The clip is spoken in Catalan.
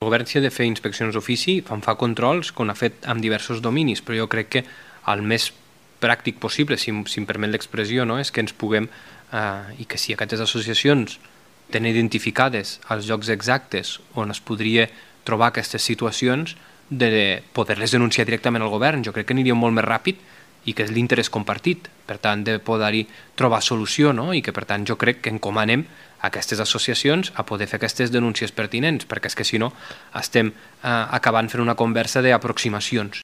El govern, si ha de fer inspeccions d'ofici, fa controls, com ha fet amb diversos dominis, però jo crec que el més pràctic possible, si em permet l'expressió, no? És que ens puguem, i que si aquestes associacions tenen identificades els llocs exactes on es podria trobar aquestes situacions, de poder-les denunciar directament al govern. Jo crec que aniria molt més ràpid i que és l'interès compartit, per tant, de poder-hi trobar solució, no? I que, per tant, jo crec que encomanem a aquestes associacions a poder fer aquestes denúncies pertinents, perquè és que, si no, estem acabant fent una conversa d'aproximacions.